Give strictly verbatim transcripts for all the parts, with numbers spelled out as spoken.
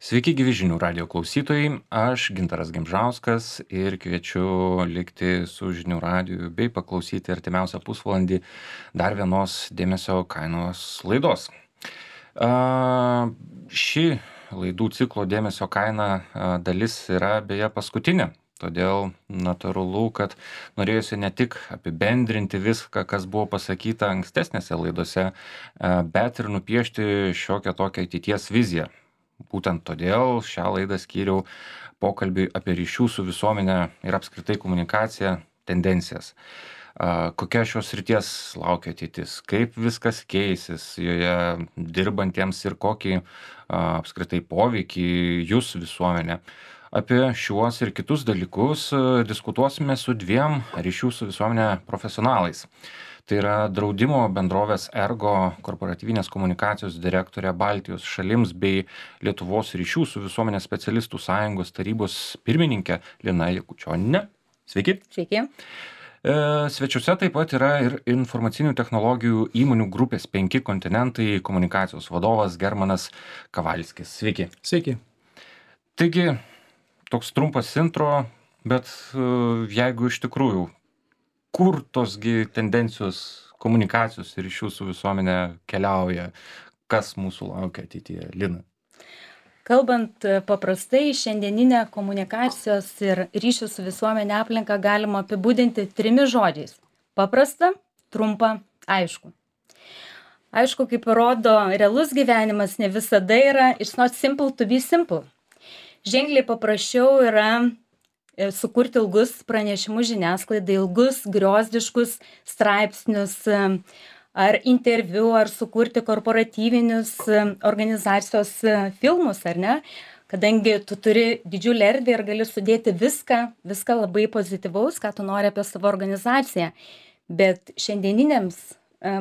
Sveiki gyvi žinių radijo klausytojai, aš Gintaras Gimžauskas ir kviečiu likti su žinių radiju bei paklausyti artimiausią pusvalandį dar vienos dėmesio kainos laidos. A, ši laidų ciklo dėmesio kaina a, dalis yra beje paskutinė. Todėl natūralu, kad norėjusi ne tik apibendrinti viską, kas buvo pasakyta ankstesnėse laidose, a, bet ir nupiešti šiokią tokią ateities viziją. Būtent todėl šią laidą skyriau pokalbiui apie ryšių su visuomenė ir apskritai komunikaciją tendencijas. A, Kokia šios srities laukia ateitis, kaip viskas keisis joje dirbantiems ir kokį a, apskritai poveikį jūs visuomenė. Apie šiuos ir kitus dalykus a, diskutuosime su dviem ryšių su visuomenė profesionalais. Tai yra draudimo bendrovės Ergo korporatyvinės komunikacijos direktorė Baltijos šalims bei Lietuvos ryšių su visuomenės specialistų sąjungos tarybos pirmininkė Lina Jakučioninė. Sveiki. Sveiki. E, Svečiuose taip pat yra ir informacinių technologijų įmonių grupės penki kontinentai komunikacijos vadovas Germanas Kavalskis. Sveiki. Sveiki. Taigi, toks trumpas intro, bet e, jeigu iš tikrųjų kur tosgi tendencijos komunikacijos ir ryšių su visuomenė keliauja, kas mūsų laukia ateityje, Lina? Kalbant paprastai, šiandieninę komunikacijos ir ryšių su visuomenė aplinką galima apibūdinti trimis žodžiais. Paprasta, trumpa, aišku. Aišku, kaip rodo realus gyvenimas, ne visada yra it's not simple to be simple. Ženkliai paprasčiau yra sukurti ilgus pranešimus žiniasklaidai, ilgus griozdiškus straipsnius ar interviu, ar sukurti korporatyvinius organizacijos filmus, ar ne? Kadangi tu turi didžiulę erdvę ir gali sudėti viską, viską labai pozityvaus, ką tu nori apie savo organizaciją. Bet šiandieniniams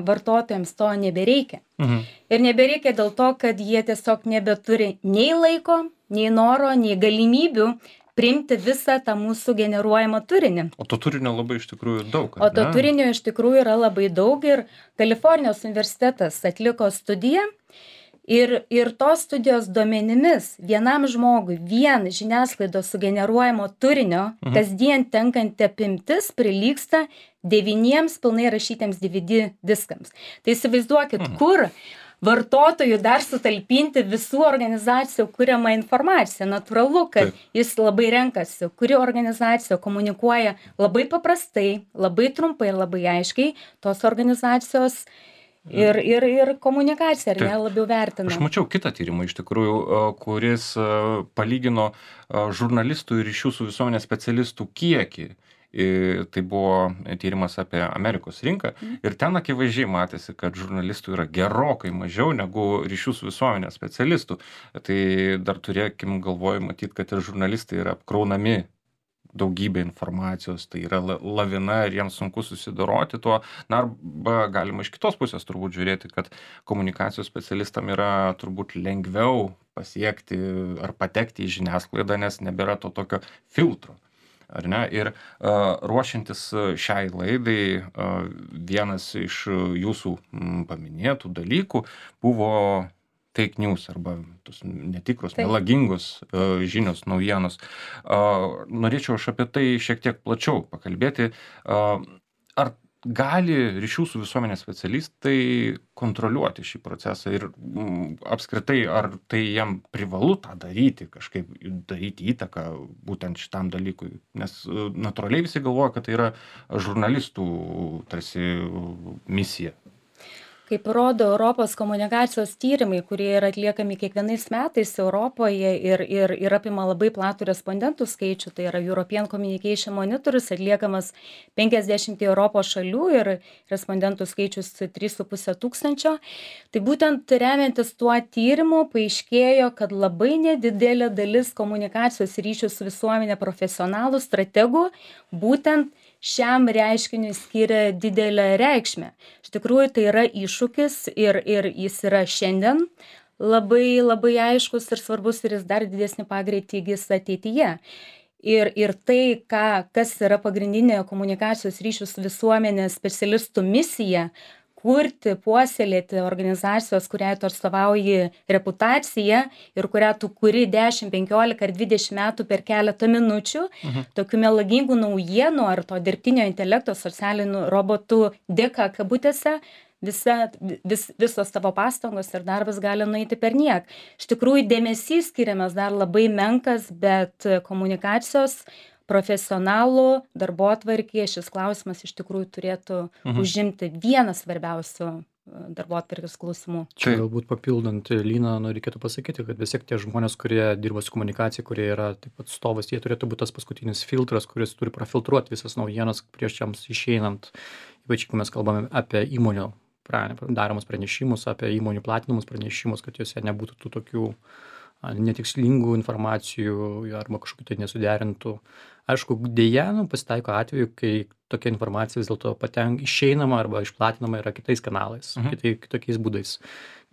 vartotojams to nebereikia. Mhm. Ir nebereikia dėl to, kad jie tiesiog nebeturi nei laiko, nei noro, nei galimybių priimti visą tą mūsų generuojamą turinį. O to turinio labai iš tikrųjų daug. O to turinio iš tikrųjų yra labai daug ir Kalifornijos universitetas atliko studiją ir, ir tos studijos duomenimis vienam žmogui vien žiniasklaidos sugeneruojamo turinio mhm. kasdien tenkanti apimtis prilygsta devyniems pilnai rašytiems D V D diskams. Tai įsivaizduokit, mhm. kur vartotojų dar sutalpinti visų organizacijų kuriamą informaciją. Natūralu, kad Taip. Jis labai renkasi, kuri organizacija komunikuoja labai paprastai, labai trumpai ir labai aiškiai, tos organizacijos ir, ir, ir komunikacija, ar ne, labiau vertina. Aš mačiau kitą tyrimą iš tikrųjų, kuris palygino žurnalistų ir ryšių su visuomenės specialistų kiekį. Tai buvo tyrimas apie Amerikos rinką ir ten akivaizdžiai matėsi, kad žurnalistų yra gerokai mažiau negu ryšių su visuomenės specialistų. Tai dar turėkim galvoj matyti, kad ir žurnalistai yra apkraunami daugybė informacijos, tai yra lavina ir jiems sunku susidoroti tuo. Na, arba galima iš kitos pusės turbūt žiūrėti, kad komunikacijos specialistam yra turbūt lengviau pasiekti ar patekti į žiniasklaidą, nes nebėra to tokio filtro. Ar ne? Ir uh, ruošiantis šiai laidai, uh, vienas iš jūsų m, paminėtų dalykų buvo fake news arba tos netikros, Taip. melagingos uh, žinios, naujienos. Uh, norėčiau aš apie tai šiek tiek plačiau pakalbėti. Uh, ar gali ryšių su visuomenės specialistai kontroliuoti šį procesą ir m, apskritai, ar tai jam privalu tą daryti, kažkaip daryti įtaką būtent šitam dalykui? Nes natūraliai visi galvoja, kad tai yra žurnalistų tarsi misija. Kaip rodo Europos komunikacijos tyrimai, kurie yra atliekami kiekvienais metais Europoje ir, ir, ir apima labai platų respondentų skaičių, tai yra European Communication Monitors, atliekamas penkiasdešimt Europos šalių ir respondentų skaičius trys su puse tūkstančio. Tai būtent remiantis tuo tyrimu paaiškėjo, kad labai nedidelė dalis komunikacijos ryšių su visuomenė profesionalų strategų būtent šiam reiškiniui skiria didelę reikšmę. Iš tikrųjų, tai yra iššūkis ir, ir jis yra šiandien labai, labai aiškus ir svarbus ir jis dar didesnį pagreitį įgis ateityje. Ir, ir tai, ką, kas yra pagrindinė komunikacijos ryšių su visuomenės specialistų misija, kurti, puoselėti organizacijos, kuriai tu atstovauji reputaciją ir kurią tu kuri dešim, penkiolika ar dvidešim metų per keletą minučių, mhm. tokių melagingų naujienų ar to dirbtinio intelekto socialinių robotų dėka kabutėse, visa, vis, visos tavo pastangos ir darbas gali nueiti per niek. Iš tikrųjų, dėmesys skiriamas dar labai menkas, bet komunikacijos profesionalų darbotvarkėje šis klausimas iš tikrųjų turėtų mhm. užimti vieną svarbiausių darbotvarkės klausimų. Čia galbūt papildant Liną, nu, reikėtų pasakyti, kad vis tiek tie žmonės, kurie dirba su komunikacija, kurie yra taip pat atstovas, jie turėtų būti tas paskutinis filtras, kuris turi profiltruoti visas naujienas prieš jiems išeinant, ypač kai mes kalbame apie įmonių daromus pranešimus, apie įmonių platinamus pranešimus, kad juose nebūtų tų tokių netikslingų informacijų arba kažkokių tai nesuderintų. Aišku, dėja, nu, pasitaiko atveju, kai tokia informacija vis dėlto patenk išeinama arba išplatinama yra kitais kanalais, mhm. kitai, kitokiais būdais,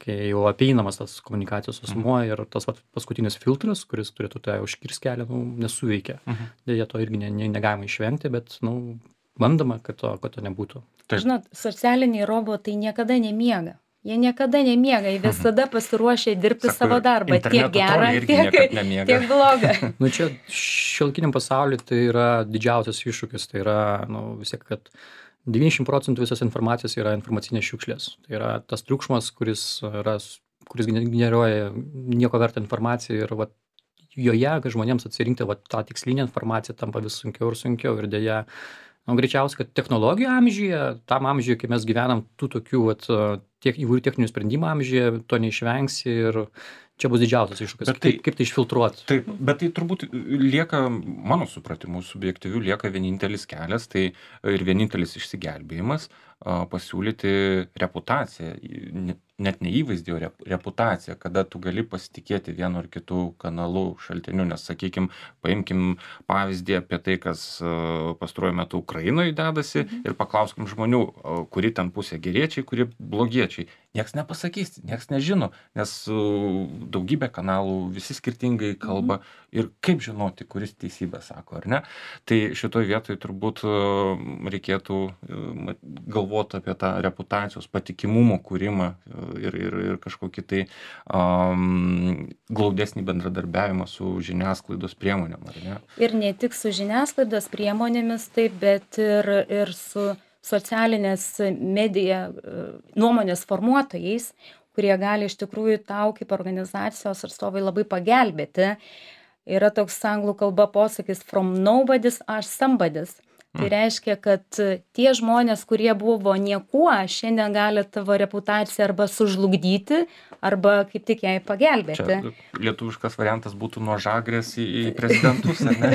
kai jau apeinamas tas komunikacijos asmuo mhm. ir tas vat, paskutinis filtras, kuris turėtų tai užkirsti kelią, nu, nesuveikia. Mhm. Dėja, to irgi ne, ne, negalima išvengti, bet nu, bandoma, kad to, kad to nebūtų. Taip. Žinot, socialiniai robotai niekada nemiega. Jie niekada nemiega, jie visada pasiruošę dirbti Sako, savo darbą, tiek gerą, tiek, tiek blogą. Nu čia šiuolaikiniam pasauliu tai yra didžiausias iššūkis, tai yra, nu, vis tiek, kad devyniasdešim procentų visos informacijos yra informacinės šiukšlės. Tai yra tas triukšmas, kuris, yra, kuris generuoja nieko vertą informaciją ir vat, joje, kai žmonėms atsirinkti vat, tą tikslinę informaciją, tampa vis sunkiau ir sunkiau ir dėja. Nu, greičiausiai, kad technologijų amžiuje, tam amžiuje, kai mes gyvenam tų tokių vat, tiek įvairių techninių sprendimų amžiuje, to neišvengsi ir čia bus didžiausias iššūkis. Tai, kaip, kaip tai išfiltruoti? Taip, bet tai turbūt lieka, mano supratimu, subjektyvių lieka vienintelis kelias, tai ir vienintelis išsigelbėjimas pasiūlyti reputaciją, net ne įvaizdį, o reputaciją, kada tu gali pasitikėti vienu ar kitų kanalų šaltiniu, nes, sakykim, paimkim pavyzdį apie tai, kas pastaruoju metu Ukrainoje dedasi mhm. ir paklauskim žmonių, kuri ten pusė geriečiai, kuri blogiečiai. Nieks nepasakys, nieks nežino, nes daugybė kanalų, visi skirtingai kalba mhm. ir kaip žinoti, kuris teisybę sako, ar ne? Tai šitoj vietoj turbūt reikėtų galvoti apie tą reputacijos patikimumo kūrimą ir, ir, ir kažkokį tai um, glaudesnį bendradarbiavimą su žiniasklaidos priemonėm, ar ne? Ir ne tik su žiniasklaidos priemonėmis, taip, bet ir, ir su socialinės medija nuomonės formuotojais, kurie gali iš tikrųjų tau kaip organizacijos atstovai labai pagelbėti. Yra toks anglų kalba posakis from nobody's are somebody's. Tai reiškia, kad tie žmonės, kurie buvo niekuo, šiandien gali tavo reputaciją arba sužlugdyti, arba kaip tik jai pagelbėti. Čia lietuviškas variantas būtų nuo žagrės į, į prezidentus, ar ne?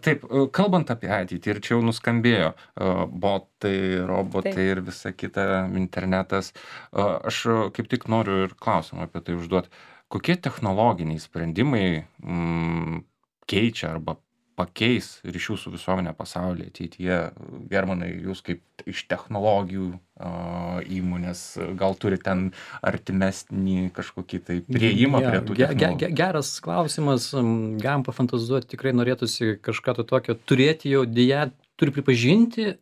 Taip, kalbant apie ateitį, ir čia jau nuskambėjo botai, robotai Taip. Ir visa kita, internetas, aš kaip tik noriu ir klausimą apie tai užduoti. Kokie technologiniai sprendimai mm, keičia arba pakeis ryšių su visuomenė pasaulyje ateityje? Germanai, jūs kaip iš technologijų uh, įmonės, gal turi ten artimesnį kažkokį tai prieimą ja, prie tų technologijų? Ge, ge, geras klausimas, galim pafantazuoti, tikrai norėtųsi kažką to tokio turėti, jau dėja, turi pripažinti,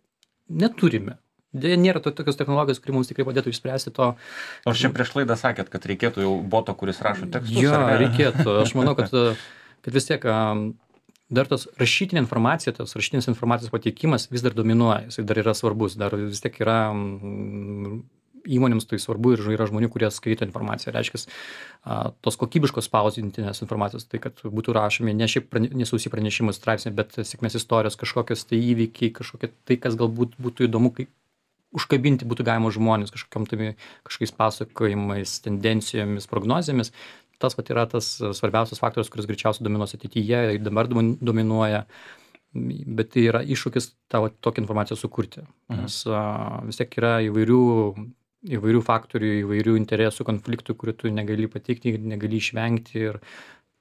neturime. Dėja, nėra to, tokios technologijos, kuri mums tikrai padėtų išspręsti to. Nors čia prieš laidą sakėt, kad reikėtų jau boto, kuris rašo tekstus. Jo, reikėtų. Aš manau, kad, kad vis tiek dar tos rašytinė informacija, tos rašytinės informacijos pateikimas vis dar dominuoja, jis dar yra svarbus, dar vis tiek yra įmonėms tai svarbu ir yra žmonių, kurie skaito informaciją. Reiškia, tos kokybiškos spausdintinės informacijos, tai kad būtų rašomi ne šiaip prane, nesausi pranešimų straipsniai, bet sėkmės istorijos, kažkokios tai įvykiai, kažkokie tai, kas galbūt būtų įdomu, kaip užkabinti būtų galima žmonės kažkokiam tai kažkokiais pasakojimais, tendencijomis, prognozėmis. Tas pat yra tas svarbiausias faktorius, kuris greičiausiai dominuos ateityje ir dabar dominuoja, bet tai yra iššūkis tavo tokią informaciją sukurti. Mhm. Nes a, vis tiek yra įvairių, įvairių faktorių, įvairių interesų konfliktų, kurių tu negali patikti, negali išvengti ir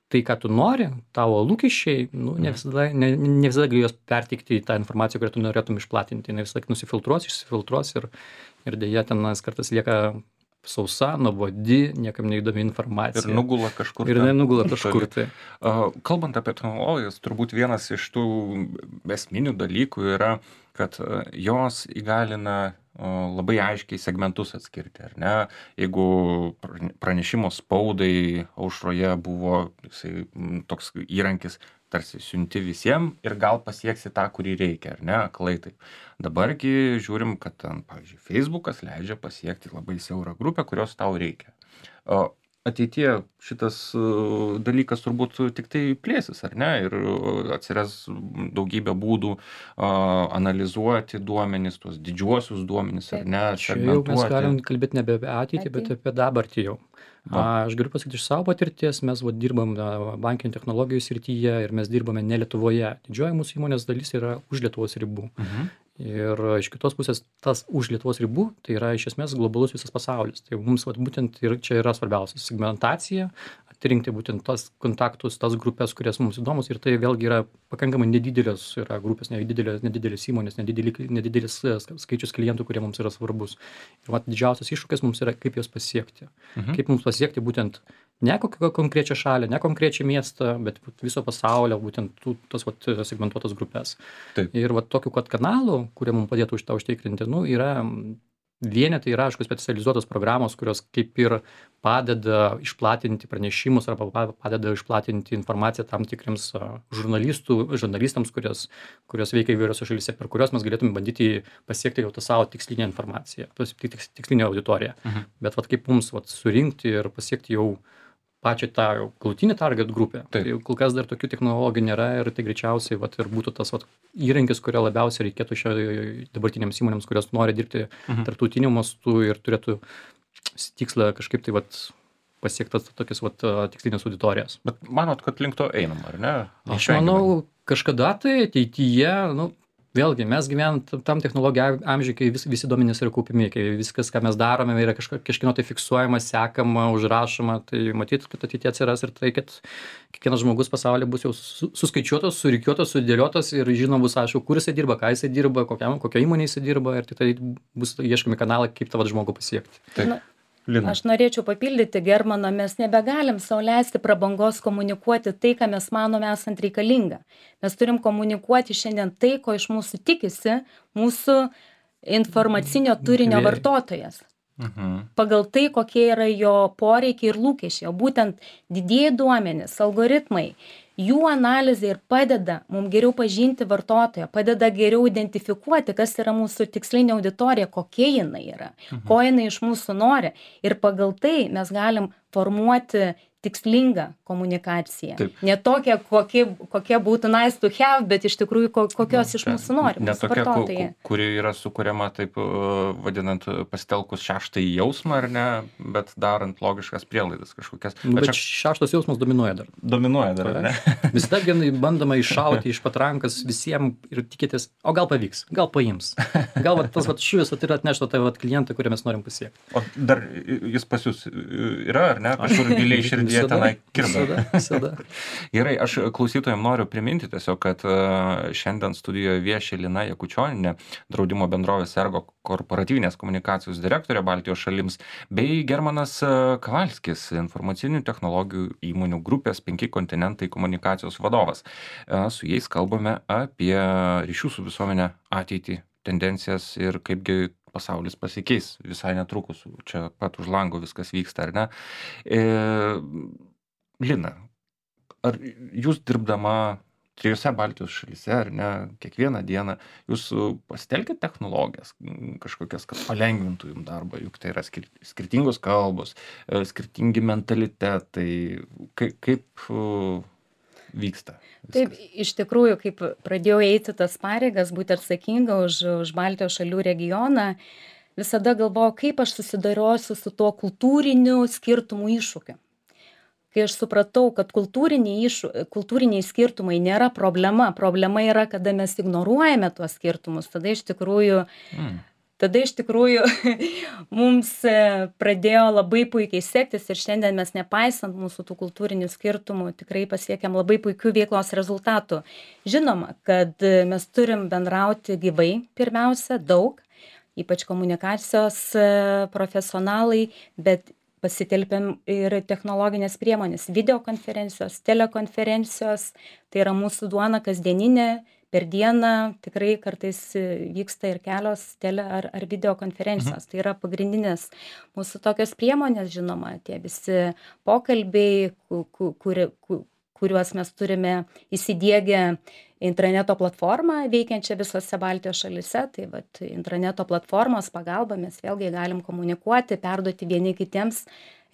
tai, ką tu nori, tavo lūkesčiai, nu, ne visada, ne, ne visada gali jos perteikti tą informaciją, kurią tu norėtum išplatinti. Ne visada nusifiltruos, išsifiltruos ir, ir dėja ten kartais lieka sausa, nuobodi, niekam neįdomi informacija. Ir nugula kažkur. Ir nugula kažkur. Tai. Kalbant apie technologijas, turbūt vienas iš tų esminių dalykų yra, kad jos įgalina labai aiškiai segmentus atskirti, ar ne? Jeigu pranešimo spaudai aušroje buvo jisai, toks įrankis, tarsi siunti visiems ir gal pasieksi tą, kurį reikia, ar ne, aklai taip. Dabargi žiūrim, kad ten, pavyzdžiui, Facebookas leidžia pasiekti labai siaurą grupę, kurios tau reikia. O ateityje šitas dalykas turbūt tik tai plėsis, ar ne, ir atsiras daugybė būdų a, analizuoti duomenis, tuos didžiuosius duomenis, ar ne, čia jau mes galim kalbėti nebe apie ateitį, bet apie dabartį jau. A, aš galiu pasakyti iš savo patirties, mes va, dirbam bankinių technologijų srityje ir mes dirbame ne Lietuvoje. Didžioji mūsų įmonės dalis yra už Lietuvos ribų. Mhm. Ir iš kitos pusės tas už Lietuvos ribų, tai yra iš esmės globalus visas pasaulis. Tai mums vat, būtent ir čia yra svarbiausia segmentacija, atrinkti būtent tas kontaktus, tas grupės, kurias mums įdomus. Ir tai vėlgi yra pakankamai nedidelės yra grupės, nedidelės, nedidelės įmonės, nedidelis, nedidelis skaičius klientų, kurie mums yra svarbus. Ir vat, didžiausias iššūkis mums yra, kaip juos pasiekti. Mhm. Kaip mums pasiekti būtent ne kokią konkrečią šalį, ne konkrečią miestą, bet viso pasaulio, būtent tų, tos vat, segmentuotos grupės. Taip. Ir vat, tokių vat, kanalų, kurie mums padėtų už tą užtikrinti, nu, yra vienetai, yra, aišku, specializuotos programos, kurios kaip ir padeda išplatinti pranešimus arba padeda išplatinti informaciją tam tikriems žurnalistų, žurnalistams, kurios, kurios veikia įvairiose šalyse, per kurios mes galėtume bandyti pasiekti jau tą savo tikslinę informaciją, tikslinę auditoriją. Mhm. Bet vat, kaip mums vat, surinkti ir pasiekti jau pačią tą galutinį target grupę. Taip. Tai kol kas dar tokių technologijų nėra ir tai greičiausiai vat, ir būtų tas vat, įrankis, kurio labiausiai reikėtų šio dabartinėms įmonėms, kurios nori dirbti mhm. tarptautiniu mastu ir turėtų tikslą kažkaip tai vat, pasiektas tokias vat, tikslinės auditorijas. Bet manot, kad link to einam, ar ne? Aš manau, kažkada tai ateityje, nu, vėlgi, mes gyvenam tam technologijų amžiui, kai vis, visi duomenys yra kaupiami, kai viskas, ką mes darome, yra kažko, kažkino tai fiksuojama, sekama, užrašoma, tai matyt, kad ateityje atsiras ir tai, kad kiekvienas žmogus pasaulyje bus jau suskaičiuotas, surikiuotas, sudėliotas ir žinom bus, aišku, kur jisai dirba, ką jisai dirba, kokiam, kokio įmonė jisai dirba ir tai bus ieškomi kanalai, kaip tą žmogų pasiekti. Taip. Lina. Aš norėčiau papildyti Germaną, mes nebegalim sau leisti prabangos komunikuoti tai, ką mes manome esant reikalinga. Mes turim komunikuoti šiandien tai, ko iš mūsų tikisi mūsų informacinio turinio vartotojas. Mhm. Pagal tai, kokie yra jo poreikiai ir lūkesčiai. O būtent didieji duomenys, algoritmai, jų analizė ir padeda mums geriau pažinti vartotoją, padeda geriau identifikuoti, kas yra mūsų tikslinė auditorija, kokia jinai yra, mhm. ko jinai iš mūsų nori. Ir pagal tai mes galim formuoti tikslingą komunikaciją. Taip. Ne tokia, kokie, kokie būtų nice to have, bet iš tikrųjų kokios iš mūsų nori. Ne tokia, ku, kuri yra sukuriama taip vadinant pasitelkus šeštąjį jausmą, ar ne, bet darant logiškas prielaidas kažkokias. Bet, bet čia... šeštas jausmas dominuoja dar. Dominuoja dar, ar ne? Visada bandoma iššauti iš patrankas visiems ir tikėtis, o gal pavyks, gal paims. Gal va, tas va, šuvis tai yra atnešta tai va, klientą, kurį mes norim pasiekti. O dar jis pas jūs yra, ar ne? Kažkur giliai širdį jie tenai kirba. Visada. Gerai, aš klausytojams noriu priminti tiesiog, kad šiandien studijoje vieši Lina Jakučioninė, draudimo bendrovės Ergo korporatyvinės komunikacijos direktorė Baltijos šalims, bei Germanas Kavalskis, informacinių technologijų įmonių grupės penki kontinentai komunikacijos vadovas. Su jais kalbame apie ryšių su visuomenė ateitį, tendencijas ir kaipgi pasaulis pasikeis visai netrukus, čia pat už lango viskas vyksta, ar ne? E, Lina, ar jūs dirbdama trijose Baltijos šalyse, ar ne, kiekvieną dieną, jūs pasitelkite technologijas kažkokias, kad palengvintų jums darbą, juk tai yra skirtingos kalbos, skirtingi mentalitetai, kaip, kaip vyksta viskas? Taip, iš tikrųjų, kaip pradėjau eiti tas pareigas, būti atsakinga už, už Baltijos šalių regioną, visada galvojau, kaip aš susidariosiu su tuo kultūriniu skirtumų iššūkiu. Kai aš supratau, kad kultūriniai, išu, kultūriniai skirtumai nėra problema, problema yra, kada mes ignoruojame tuos skirtumus, tada iš tikrųjų, mm. tada iš tikrųjų mums pradėjo labai puikiai sektis ir šiandien mes nepaisant mūsų tų kultūrinių skirtumų tikrai pasiekėm labai puikių veiklos rezultatų. Žinoma, kad mes turim bendrauti gyvai pirmiausia, daug. ypač komunikacijos profesionalai, bet pasitelpiam ir technologinės priemonės, videokonferencijos, telekonferencijos, tai yra mūsų duona kasdieninė, per dieną tikrai kartais vyksta ir kelios tele ar, ar videokonferencijos. Mhm. Tai yra pagrindinės mūsų tokios priemonės, žinoma, tie visi pokalbiai, kur, kur, kuriuos mes turime įsidiegę intraneto platformą veikiančią visose Baltijos šalyse. Tai vat, intraneto platformos pagalba mes vėlgi galim komunikuoti, perduoti vieni kitiems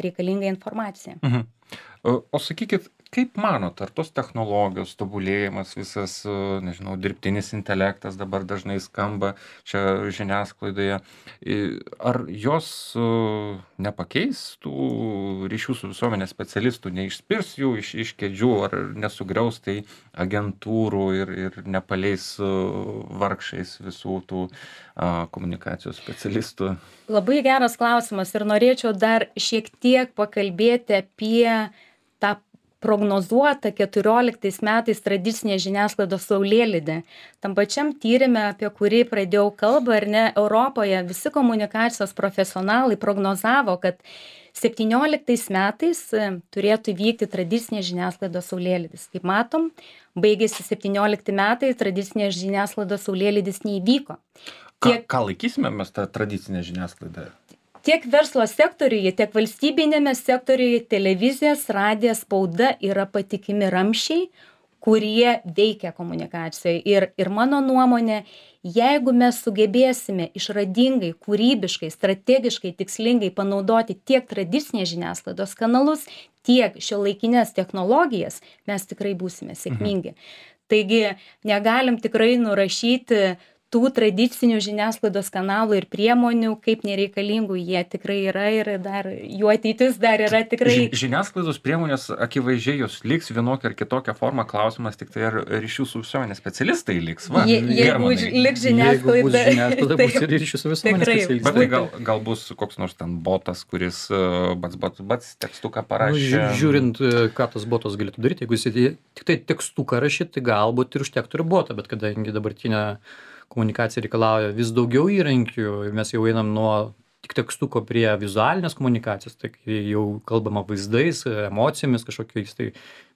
reikalingą informaciją. Mhm. O sakykit, kaip manot, ar tos technologijos tobulėjimas, visas, nežinau, dirbtinis intelektas dabar dažnai skamba čia žiniasklaidoje, ar jos nepakeis tų ryšių su visuomenės specialistų, neišspirs jų iš, iš kėdžių, ar nesugriaus tai agentūrų ir, ir nepaleis vargšais visų tų a, komunikacijos specialistų? Labai geras klausimas ir norėčiau dar šiek tiek pakalbėti apie tą prognozuota keturioliktais metais tradicinė žiniasklaidos saulėlydė. Tam pačiam tyrime, apie kurį pradėjau kalbą, ar ne, Europoje visi komunikacijos profesionalai prognozavo, kad septynioliktais metais turėtų vykti tradicinė žiniasklaidos saulėlydis. Kaip matom, baigėsi septyniolikti metai, tradicinė žiniasklaidos saulėlydis neįvyko. Tiek... Ką, ką laikysime mes tą tradicinę žiniasklaidą? Tiek verslo sektoriuje, tiek valstybinėme sektoriuje televizijas, radijas, spauda yra patikimi ramsčiai, kurie veikia komunikacijoje. Ir, ir mano nuomonė, jeigu mes sugebėsime išradingai, kūrybiškai, strategiškai, tikslingai panaudoti tiek tradicinės žiniasklaidos kanalus, tiek šiuolaikinės technologijas, mes tikrai būsime sėkmingi. Mhm. Taigi negalim tikrai nurašyti tų tradicinių žiniasklaidos kanalų ir priemonių, kaip nereikalingų jie tikrai yra ir dar jų ateitis dar yra tikrai. Ži, žiniasklaidos priemonės akivaizdžiai jos liks vienokia ar kitokia forma, klausimas tik tai ar ryšių su visuomenės specialistai liks. Va, Je, jeigu liks žiniasklaida, jeigu bus žiniasklaida, bus ir ryšių su visuomenės specialistai. Bet tai gal, gal bus koks nors ten botas, kuris bats, bats, bats tekstuką parašė. Nu, žiūrint, ką tas botas galėtų daryti, jeigu jis tik tai tekstuką rašyt, tai galbūt ir užtektų ir botą, bet kadangi dabartinė komunikacija reikalauja vis daugiau įrankių, mes jau einam nuo tik tekstuko prie vizualinės komunikacijos, tai jau kalbama vaizdais, emocijomis, kažkokiais tai,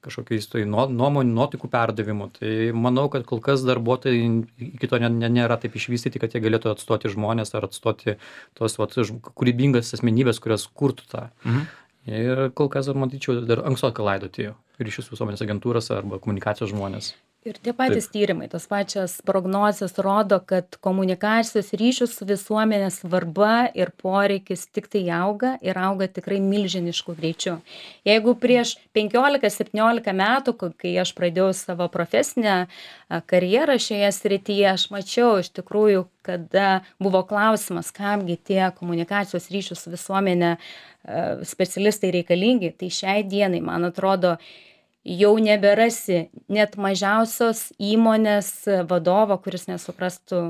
kažkokiais tai nuomonių, nuotaikų perdavimu. Tai manau, kad kol kas darbuotojai iki to nėra taip išvystyti, kad jie galėtų atstoti žmonės ar atstoti tos vat, kūrybingas asmenybės, kurios kurtų tą. Mhm. Ir kol kas, matyčiau, dar ankstokai laidoti ryšius visuomenės agentūros arba komunikacijos žmonės. Ir tie patys Taip. tyrimai, tos pačios prognozijos rodo, kad komunikacijos ryšių su visuomenės svarba ir poreikis tik tai auga ir auga tikrai milžinišku greičiu. Jeigu prieš penkiolika septyniolika metų, kai aš pradėjau savo profesinę karjerą šioje srityje, aš mačiau iš tikrųjų, kada buvo klausimas, kamgi tie komunikacijos ryšių su visuomenė specialistai reikalingi, tai šiai dienai, man atrodo, jau neberasi net mažiausios įmonės vadovo, kuris nesuprastų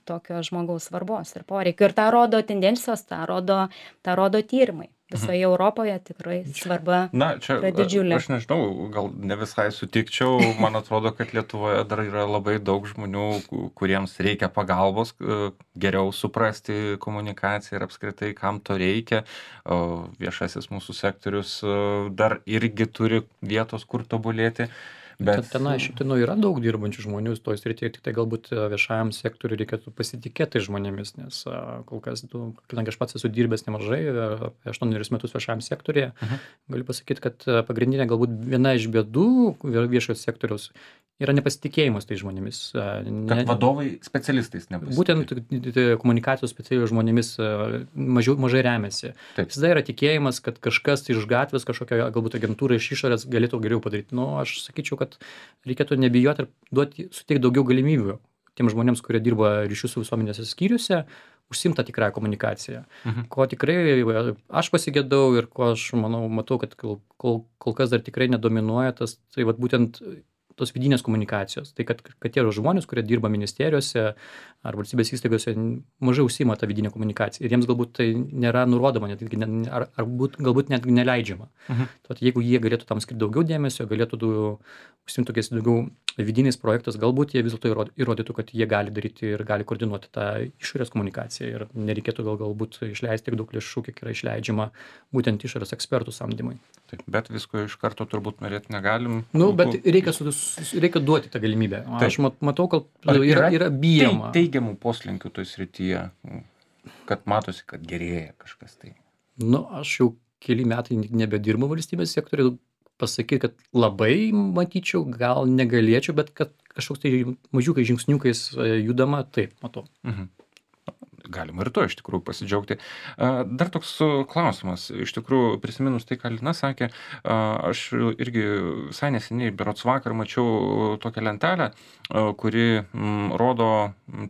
tokio žmogaus svarbos ir poreikio. Ir tą rodo tendencijos, tą rodo, tą rodo tyrimai. Visoje Europoje tikrai svarba Na, čia, yra didžiulė. Aš nežinau, gal ne visai sutikčiau. Man atrodo, kad Lietuvoje dar yra labai daug žmonių, kuriems reikia pagalbos, geriau suprasti komunikaciją ir apskritai, kam to reikia. Viešasis mūsų sektorius dar irgi turi vietos, kur tobulėti. Bet tenai šiaip tai nu, yra daug dirbančių žmonių toj srityje, tik tai galbūt viešajam sektoriui reikėtų pasitikėti žmonėmis, nes kol kas, tu, kadangi aš pats esu dirbęs nemažai, aštuonerius metus viešajam sektoriuje, uh-huh. galiu pasakyti, kad pagrindinė galbūt viena iš bėdų viešojo sektoriaus yra nepasitikėjimas tai žmonėmis. Ne, kad vadovai specialistais nepasitikė. Būtent komunikacijos specialistais žmonėmis mažiau, mažai remiasi. Visada yra tikėjimas, kad kažkas iš gatvės, kažkokia galbūt agentūra iš išorės galėtų geriau padaryti. Nu, aš sakyčiau, kad reikėtų nebijoti ir duoti, suteikti daugiau galimybių tiem žmonėms, kurie dirba ryšių su visuomenės skyriuose, užsimta tikrąją komunikaciją. Mhm. Ko tikrai aš pasigėdau ir ko aš manau, matau, kad kol, kol, kol kas dar tikrai nedominuoja tas, tai vat būtent tos vidinės komunikacijos. Tai kad, kad tie žmonės, kurie dirba ministerijose ar valstybės įstaigose, mažai užsima tą vidinę komunikaciją. Ir jiems galbūt tai nėra nurodoma, net, ar, ar būt, galbūt net neleidžiama. Mhm. Tad jeigu jie galėtų tam skirti daugiau dėmesio, galėtų užsimti tokiais daugiau vidiniais projektais, galbūt jie vis dėlto įrodytų, kad jie gali daryti ir gali koordinuoti tą išorės komunikaciją ir nereikėtų gal, galbūt išleisti tiek daug lėšų, kiek yra išleidžiama būtent išorės ekspertų samdymui. Taip, bet visko iš karto turbūt norėti negalim. Nu, bet reikia, su, reikia duoti tą galimybę. Taip. Aš matau, kad yra, yra bijama. Tai teigiamų poslinkių toj srityje, kad matosi, kad gerėja kažkas tai. Nu, aš jau keli metai nebedirbu valstybės sektoriuje, pasakyti, kad labai matyčiau, gal negalėčiau, bet kad kažkoks tai mažiukai žingsniukais judama, taip, matau. Mhm. Galima ir to iš tikrųjų pasidžiaugti. Dar toks klausimas, iš tikrųjų prisiminus tai, ką Lina sakė, aš irgi visai neseniai, berods vakar, mačiau tokią lentelę, kuri rodo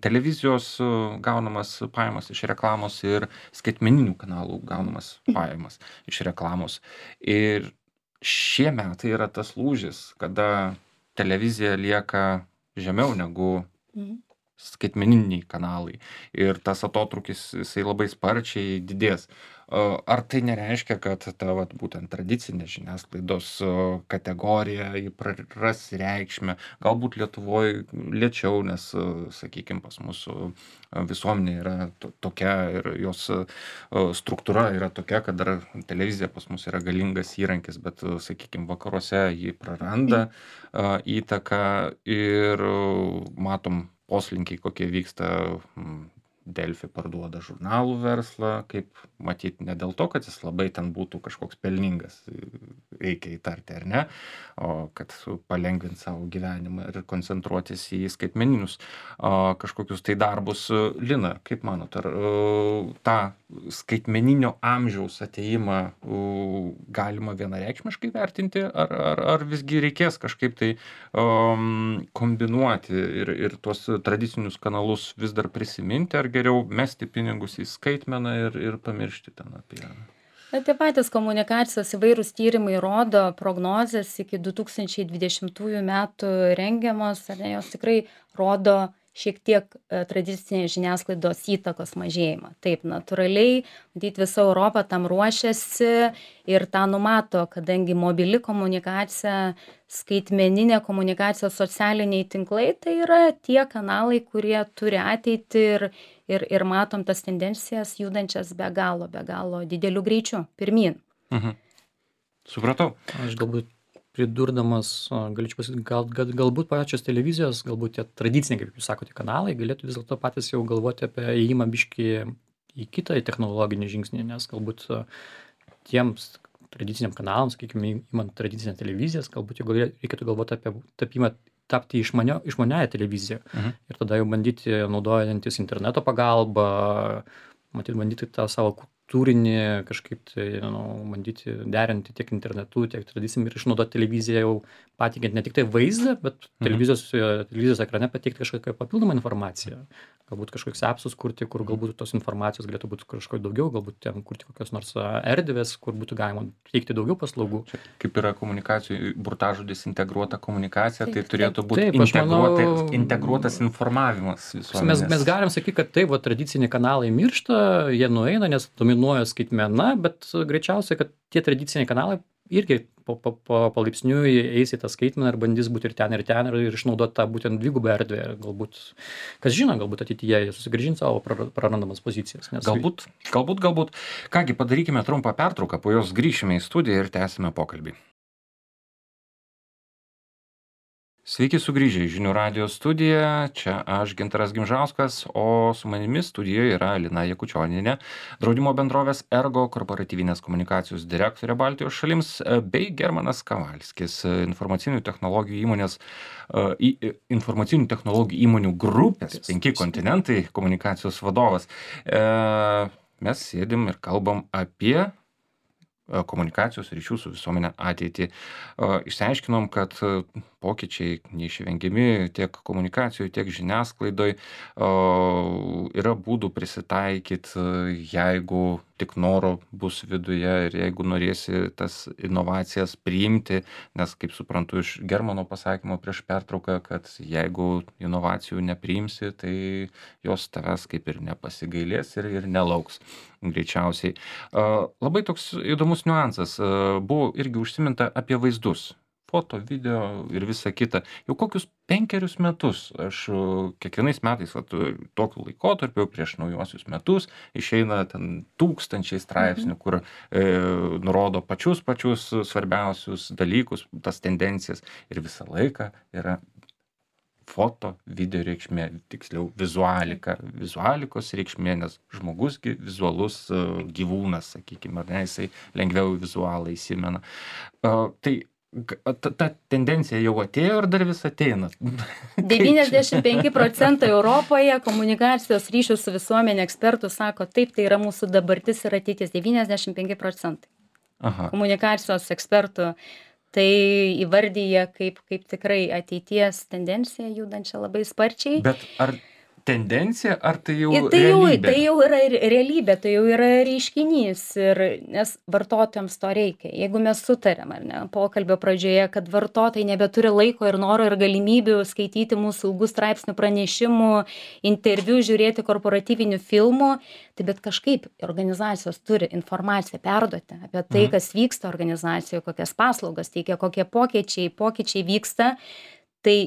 televizijos gaunamas pajamas iš reklamos ir skaitmeninių kanalų gaunamas pajamas iš reklamos. Ir šie metai yra tas lūžis, kada televizija lieka žemiau negu mhm. skaitmeniniai kanalai ir tas atotrūkis jisai labai sparčiai didės. Ar tai nereiškia, kad ta vat, būtent tradicinė žiniasklaidos kategorija jį praras reikšmę, galbūt Lietuvoje lėčiau, nes, sakykime, pas mūsų visuomenė yra to, tokia ir jos struktūra yra tokia, kad dar televizija pas mus yra galingas įrankis, bet, sakykime, vakaruose jį praranda įtaką ir matom poslinkiai, kokie vyksta. Delfi parduoda žurnalų verslą, kaip matyti ne dėl to, kad jis labai ten būtų kažkoks pelningas, reikia įtarti ar ne, o kad palengvinti savo gyvenimą ir koncentruotis į skaitmeninius kažkokius tai darbus. Lina, kaip manot, ar tą skaitmeninio amžiaus atėjimą galima vienareikšmiškai vertinti, ar, ar, ar visgi reikės kažkaip tai um, kombinuoti ir, ir tuos tradicinius kanalus vis dar prisiminti, ar geriau mesti pinigus į skaitmeną ir, ir pamiršti ten apie... Na, tie patys komunikacijos įvairūs tyrimai rodo, prognozės iki du tūkstančiai dvidešimtųjų metų rengiamos, ar ne, jos tikrai rodo šiek tiek tradicinės žiniasklaidos įtakos mažėjimą. Taip, natūraliai, matyti, visa Europa tam ruošiasi ir tą numato, kadangi mobili komunikacija, skaitmeninė komunikacija, socialiniai tinklai, tai yra tie kanalai, kurie turi ateitį ir, ir, ir matom tas tendencijas judančias be galo, be galo dideliu greičiu, pirmyn. Mhm. Supratau. Aš galbūt pridurdamas, galėčiau pasakyti, gal, gal, galbūt pačios televizijos, galbūt tie tradiciniai, kaip jūs sakote, kanalai, galėtų vis dėlto patys jau galvoti apie įėjimą biškį į kitą technologinį žingsnį, nes galbūt tiems tradiciniam kanalams, sakykime, įmant tradicinę televizijas, galbūt jau reikėtų galvoti apie tapimą, tapti išmanio, išmaniąją televiziją. Mhm. Ir tada jau bandyti, naudojantis interneto pagalbą, matyti, bandyti tą savo turinį kažkaip tai, nu, bandyti derinti tiek internetu, tiek tradicijom ir išnaudoti televiziją jau patikiant ne tik tai vaizdą, bet mhm. televizijos, televizijos ekrane pateikti kažkokią papildomą informaciją. Galbūt kažkokius appsus kurti, kur galbūt tos informacijos galėtų būti kažko daugiau, galbūt ten kurti kokios nors erdvės, kur būtų galima teikti daugiau paslaugų. Čia, kaip yra komunikacijų, burtažodis integruota komunikacija, taip, tai turėtų būti taip, integruota, manau, integruotas informavimas visuomenės. Mes, mes galim sakyti, kad taip, va, tradiciniai kanalai miršta, jie nueina, nes dominuoja skaitmena, bet greičiausiai, kad tie tradiciniai kanalai irgi po, po, po palaipsniui eis į tą skaitmeną ir bandys būti ir ten, ir ten, ir, ir išnaudoti tą būtent dvigubą erdvę. Galbūt, kas žino, galbūt ateityje jie susigrąžins savo prarandamas pozicijas. Nes... Galbūt, galbūt, galbūt. Kągi, padarykime trumpą pertrauką, po jos grįšime į studiją ir tęsime pokalbį. Sveiki sugrįžę į Žinių radijo studiją, čia aš Gintaras Gimžauskas, o su manimi studijoje yra Lina Jakučionienė, draudimo bendrovės Ergo korporatyvinės komunikacijos direktorė Baltijos šalims, bei Germanas Kavalskis, informacinių technologijų įmonės, informacinių technologijų įmonių grupės, penki kontinentai komunikacijos vadovas. Mes sėdim ir kalbam apie komunikacijos ryšių su visuomenė ateitį. Išsiaiškinom, kad pokyčiai neišvengiami tiek komunikacijų, tiek žiniasklaidoj. Yra būdų prisitaikyti, jeigu tik noro bus viduje ir jeigu norėsi tas inovacijas priimti, nes kaip suprantu iš Germano pasakymo prieš pertrauką, kad jeigu inovacijų nepriimsi, tai jos tavęs kaip ir nepasigailės ir, ir nelauks greičiausiai. Labai toks įdomus niuansas. Buvo irgi užsiminta apie vaizdus. Foto, video ir visa kita. Jau kokius penkerius metus aš kiekvienais metais, vat, tokiu laikotarpiu prieš naujuosius metus išeina ten tūkstančiai straipsnių, mhm. kur e, nurodo pačius pačius svarbiausius dalykus, tas tendencijas ir visą laiką yra foto, video reikšmė, tiksliau vizualika, vizualikos reikšmė, nes žmogusgi vizualus gyvūnas, sakykime, ar ne, jisai lengviau vizualą įsimena. Uh, tai Ta, ta tendencija jau atėjo ir dar vis ateina. devyniasdešimt penki procentai Europoje komunikacijos ryšių su visuomenė ekspertų sako, taip, tai yra mūsų dabartis ir ateitis. devyniasdešimt penki procentai Aha. komunikacijos ekspertų tai įvardyja kaip, kaip tikrai ateities tendencija judančią labai sparčiai. Bet ar tendencija, ar tai jau tai jau, realybė? Tai jau yra realybė, tai jau yra reiškinys, ir, nes vartotojams to reikia. Jeigu mes sutarėm, ar ne, pokalbio pradžioje, kad vartotojai nebeturi laiko ir noro ir galimybių skaityti mūsų ilgų straipsnių pranešimų, interviu, žiūrėti korporatyvinių filmų, tai bet kažkaip organizacijos turi informaciją perduoti apie tai, mhm. kas vyksta organizacijoje, kokias paslaugas teikia, kokie pokyčiai, pokyčiai vyksta. Tai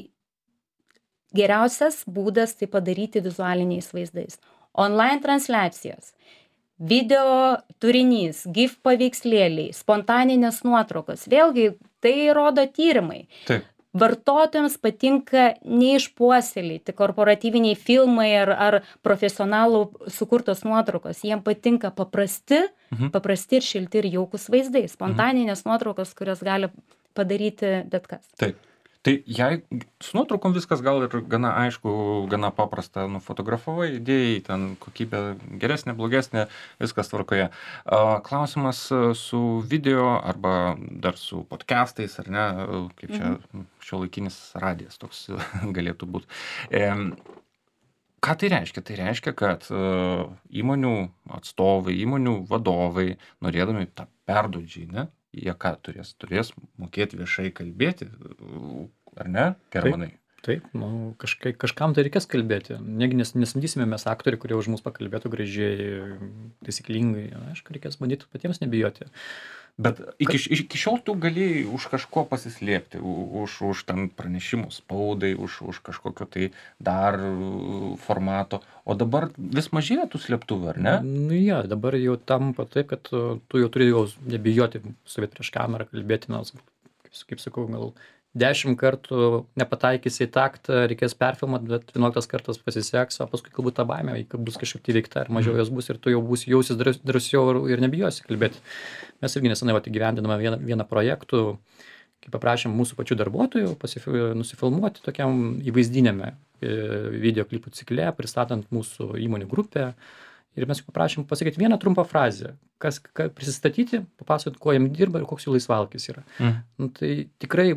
geriausias būdas tai padaryti vizualiniais vaizdais. Online transliacijos, video turinys, GIF paveikslėliai, spontaninės nuotraukos. Vėlgi, tai rodo tyrimai. Taip. Vartotojams patinka neišpuoselėti korporatyviniai filmai ar, ar profesionalų sukurtos nuotraukos. Jiems patinka paprasti, mhm. paprasti ir šilti ir jaukus vaizdai. Spontaninės mhm. nuotraukos, kurios gali padaryti bet kas. Taip. Tai jei su nuotraukom viskas gal ir gana aišku, gana paprasta, nufotografavai, idėjai, ten kokybė geresnė, blogesnė, viskas tvarkoje. Klausimas su video arba dar su podcastais, ar ne, kaip čia mhm. šiuolaikinis radijas toks galėtų būti. E, ką tai reiškia? Tai reiškia, kad įmonių atstovai, įmonių vadovai, norėdami tą perduot žinią, jie ką turės? Turės mokėti viešai kalbėti, ar ne, Germanai? Taip, taip, nu, kažkai, kažkam tai reikės kalbėti. Negi nes, nesamdysime mes aktorių, kurie už mus pakalbėtų gražiai, taisyklingai. Aišku, reikės bandyti patiems nebijoti. Bet iki, iki šiol tu galėjai už kažko pasislėpti, už, už ten pranešimų spaudai, už, už kažkokio tai dar formato, o dabar vis mažėja tų slėptuvių, ar ne? Nu ja, dabar jau tampa taip, kad tu jau turi jau nebijoti stovėti prieš kamerą, kalbėti, nors, kaip, kaip sakau, gal dešimt kartų nepataikysi į taktą, reikės perfilmuoti, bet vienuoliktas kartas pasiseks, o paskui galbūt ta baimė, kai bus kažkaip įveikta, ar mažiau jos bus ir tu jau būsi jausis drąsiau ir nebijosi kalbėti. Mes irgi nesenai įgyvendiname vieną, vieną projektų, kai paprašėm mūsų pačių darbuotojų pasifil, nusifilmuoti tokiam įvaizdinėme videoklipų cikle, pristatant mūsų įmonių grupę. Ir mes paprašėm pasakyti vieną trumpą frazę, kas, kas prisistatyti, papasakoti, kuo jam dirba ir koks jų laisvalkis yra. Mm. Nu, tai tikrai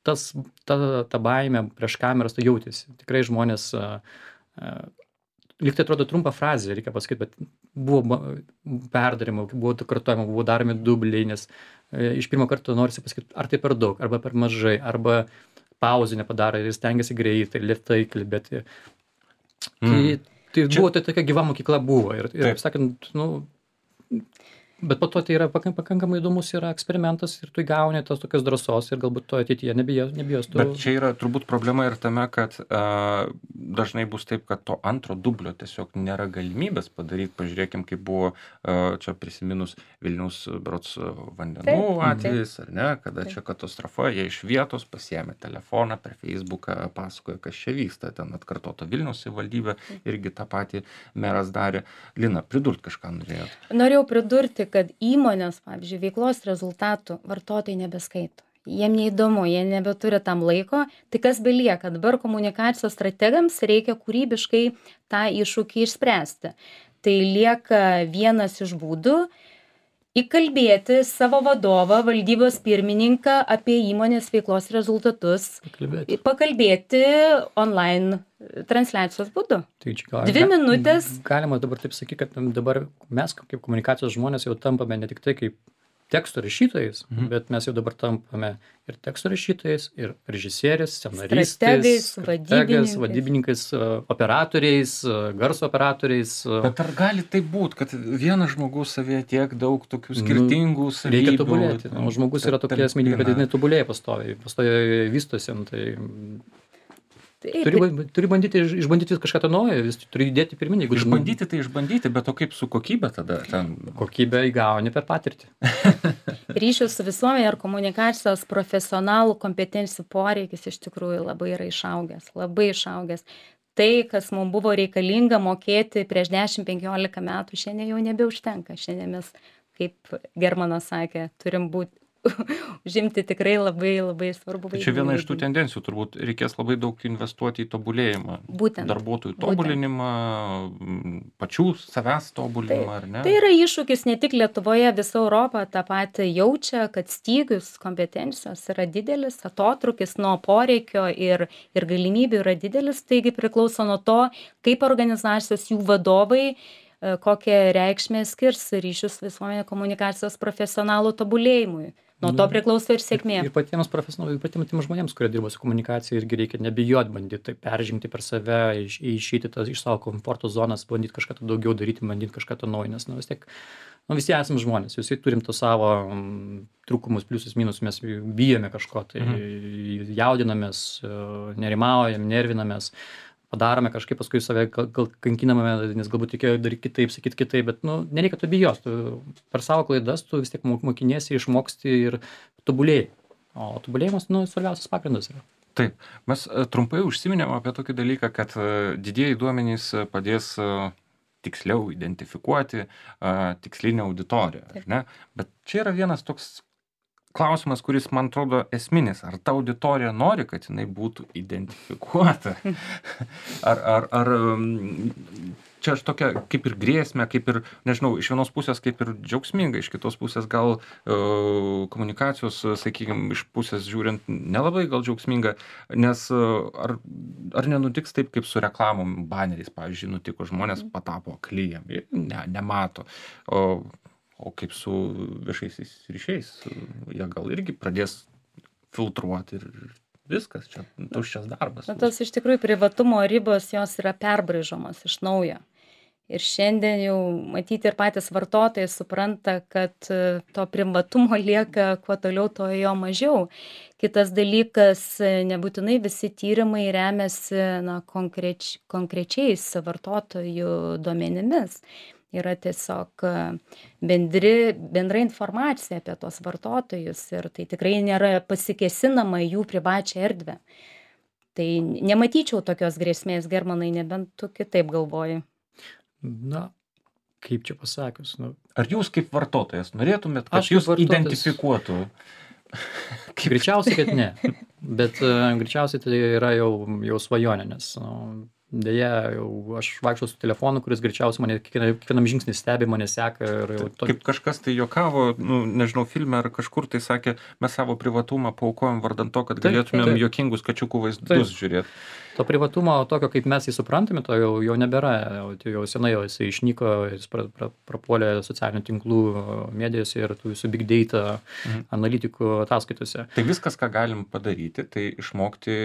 tas, ta, ta baimė prieš kameras tai jautėsi. Tikrai žmonės, uh, uh, lyg tai atrodo trumpą frazę, reikia pasakyti, bet buvo perdarimo, buvo kartojama, buvo daromi dubliai, nes uh, iš pirmo karto norisi pasakyti, ar tai per daug, arba per mažai, arba pauzę nepadaro ir stengiasi greitai, lėtai kalbėti. Mm. Tai, tai Čia... buvo, tai tokia gyva mokykla buvo. Ir, ir taip sakant, nu... Bet po to tai yra pakankamai įdomus yra eksperimentas ir tu įgauni tos tokios drąsos ir galbūt to ateityje nebijos. nebijos tu... Bet čia yra turbūt problema ir tame, kad uh, dažnai bus taip, kad to antro dublio tiesiog nėra galimybės padaryti. Pažiūrėkim, kaip buvo uh, čia prisiminus Vilniaus berods vandenų atvejis, ar ne, kada taip. Čia katastrofa, jie iš vietos pasiėmė telefoną, per Facebooką pasakoja, kas čia vyksta, ten atkartota Vilniaus savivaldybė, irgi tą patį meras darė. Lina, pridurt kažką norėjot? Norėjau pridurti, kad įmonės, pavyzdžiui, veiklos rezultatų vartotojai nebeskaito. Jiem neįdomu, jie nebeturi tam laiko. Tai kas belieka? Dabar komunikacijos strategams reikia kūrybiškai tą iššūkį išspręsti. Tai lieka vienas iš būdų įkalbėti savo vadovą, valdybos pirmininką apie įmonės veiklos rezultatus, Pakalbėti. pakalbėti online transliacijos būdu. Tai čia gal- Dvi minutės. Galima dabar taip sakyti, kad dabar mes kaip komunikacijos žmonės jau tampame ne tik tai kaip teksto rašytojais, Mhm. bet mes jau dabar tampame ir teksto rašytojais, ir režisieriais, Strategais, scenaristais, vadybininkais. vadybininkais, e, operatoriais, e, garso operatoriais. e, Bet ar gali tai būti, kad vienas žmogus savyje tiek daug tokių Nu, skirtingų savybių? Reikia tobulėti. O žmogus yra ta- tokia asmenybė, kad talpina? jinai tobulėja pastoviai, pastoviai vystosi. nu, Tai Taip, turi, ba- turi bandyti iš- išbandyti kažką to naujo, vis turi judėti pirmin. Jeigu Išbandyti tai išbandyti, bet o kaip su kokybė tada? Ten... kokybę įgauni per patirtį. ryšių su visuomenė ir komunikacijos profesionalų kompetencijų poreikis iš tikrųjų labai yra išaugęs, labai išaugęs. Tai, kas mums buvo reikalinga mokėti prieš dešimt penkiolika metų, šiandien jau nebeužtenka. Šiandien mes, kaip Germanas sakė, turim būti užimti tikrai labai labai svarbu Tai čia viena iš tų tendencijų, turbūt reikės labai daug investuoti į tobulėjimą. Būtent. Darbuotojų Būtent. tobulinimą, m, pačių savęs tobulinimą, ar ne? Tai yra iššūkis ne tik Lietuvoje, visa Europa tą patį jaučia, kad stygius kompetencijos yra didelis, atotrukis nuo poreikio ir, ir galimybių yra didelis, taigi priklauso nuo to, kaip organizacijos jų vadovai e, kokią reikšmę skirs ryšius visuomenė komunikacijos profesionalų tobulėjimui. Nuo to Nu, priklauso ir sėkmė. Ir patiems profesionalui, ir patiems tiems žmonėms, kurie dirba su komunikacija, irgi reikia nebijoti bandyti tai peržengti per save, iš, išeiti tas, iš savo komforto zonas, bandyti kažką to daugiau daryti, bandyti kažką to naujo, nes nu, vis tiek, nu, visi esame žmonės, visi turim to savo um, trūkumus, pliusus, minusus, mes bijome kažko, tai mhm. jaudinamės, nerimaujam, nervinamės, padarome kažkaip, paskui save gal, gal kankiname, nes galbūt reikėjo daryti kitaip, sakyti kitaip, bet nu, nereikia to bijos, tu per savo klaidas tu vis tiek mokiniesi, išmoksti ir tobulėjai. O tobulėjimas, nu, svarbiausias pagrindas yra. Taip, mes e, trumpai užsiminėm apie tokį dalyką, kad e, didieji duomenys e, padės e, tiksliau identifikuoti e, tikslinę auditoriją, ar ne? Bet čia yra vienas toks klausimas, kuris man atrodo esminis. Ar ta auditorija nori, kad jinai būtų identifikuota? Ar, ar, ar um, čia aš tokia kaip ir grėsmė, kaip ir, nežinau, iš vienos pusės kaip ir džiaugsminga, iš kitos pusės gal uh, komunikacijos, sakykime, iš pusės žiūrint nelabai gal džiaugsminga, nes uh, ar, ar nenutiks taip, kaip su reklamom baneriais, pavyzdžiui, nutiko, žmonės patapo aklyjam, jie ne, nemato. O, O kaip su viešaisiais ryšiais, jie gal irgi pradės filtruoti ir viskas, čia tuščias darbas. Na, tos iš tikrųjų privatumo ribos, jos yra perbraižomos iš naujo. Ir šiandien jau matyti ir patys vartotojai supranta, kad e, to privatumo lieka kuo toliau, to jo mažiau. Kitas dalykas, e, nebūtinai visi tyrimai remiasi na, konkreč, konkrečiais vartotojų duomenimis. Yra tiesiog e, bendri, bendra informacija apie tos vartotojus ir tai tikrai nėra pasikesinama į jų privačią erdvę. Tai nematyčiau tokios grėsmės, Germanai, nebent tu kitaip galvoji. Na, kaip čia pasakius, nu, Ar jūs kaip vartotojas norėtumėt, kad Aš kaip jūs vartotojas- identifikuotų? greičiausiai, kad ne. Bet uh, greičiausiai tai yra jau, jau svajonė, nes uh, dėja, jau aš vaikščiau su telefonu, kuris greičiausiai mane kiekvienam, kiekvienam žingsnį stebi, mane seka. Ir jau to, Kaip kažkas tai juokavo, nu, nežinau, filme ar kažkur tai sakė, mes savo privatumą paaukojom vardant to, kad Taip, galėtumėm taip. juokingus kačiukų vaizdus Taip. žiūrėti. to privatumo tokio, kaip mes jį suprantame, to jau, jau nebėra. Jau, tai jau senai jau jis išnyko, jis pra, pra, prapuolė socialinių tinklų medijose ir tų visų big data Mhm. analitikų ataskaitose. Tai viskas, ką galim padaryti, tai išmokti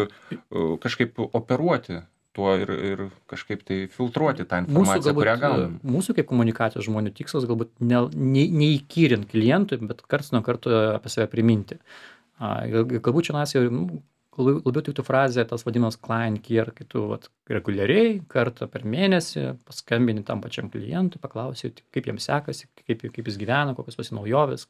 uh, kažkaip operuoti tuo ir, ir kažkaip tai filtruoti tą Mūsų, informaciją, kurią galbūt, gaunam. mūsų kaip komunikacijos žmonių tikslas galbūt ne, ne, neįkyrint klientui, bet karts nuo karto apie save priminti. A, gal- galbūt čia nas jau nu, labiau labiau tiktų frazė, tas vadinamas client care, kai tu vat, reguliariai kartą per mėnesį paskambini tam pačiam klientui, paklausi, kaip jam sekasi, kaip, kaip jis gyvena, kokios pas jį naujovės.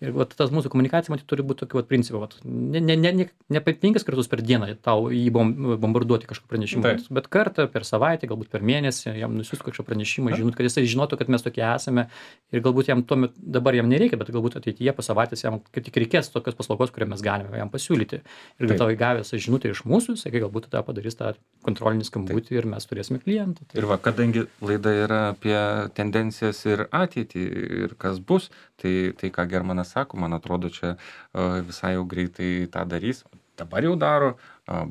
Ir vat, tas mūsų komunikacija, matyt, turi būti tokiu vat, principu. Vat, ne, ne, ne, ne, ne penkis kartus per dieną tau jį bom, bombarduoti kažkokį pranešimą, Taip. bet kartą per savaitę, galbūt per mėnesį, jam nusiųsti kažkokį pranešimą, žinot, kad jisai žinotų, kad mes tokie esame ir galbūt jam tuo metu, dabar jam nereikia, bet galbūt ateityje po savaitės jam kaip tik reikės tokios paslaugos, kurią mes galime jam pasiūlyti. Ir Taip. tau gavęs žinutę iš mūsų, jisai galbūt tada padarys tą kontrolinį skambutį ir mes turėsime klientą. Ir va, kadangi laida yra apie tendencijas ir ateitį ir kas bus, tai, tai ką Germanas sako, man atrodo, čia visai jau greitai tą darys. Dabar jau daro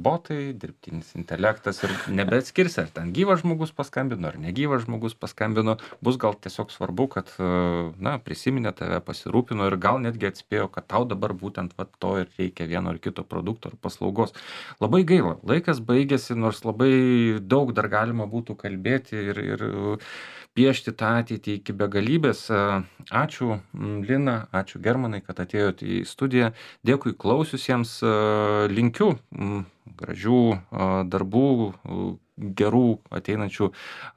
botai, dirbtinis intelektas ir nebeatskirs, ar ten gyvas žmogus paskambino, ar negyvas žmogus paskambino. Bus gal tiesiog svarbu, kad, na, prisiminė tave, pasirūpino ir gal netgi atspėjo, kad tau dabar būtent va, to ir reikia vieno ar kito produkto ar paslaugos. Labai gaila, laikas baigėsi, nors labai daug dar galima būtų kalbėti ir, ir piešti tą ateitį iki begalybės. Ačiū Lina, ačiū Germanai, kad atėjote į studiją. Dėkui klausiusiems, linkiu gražių darbų, gerų ateinančių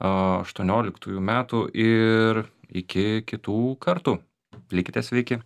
aštuonioliktųjų metų ir iki kitų kartų. Likite sveiki.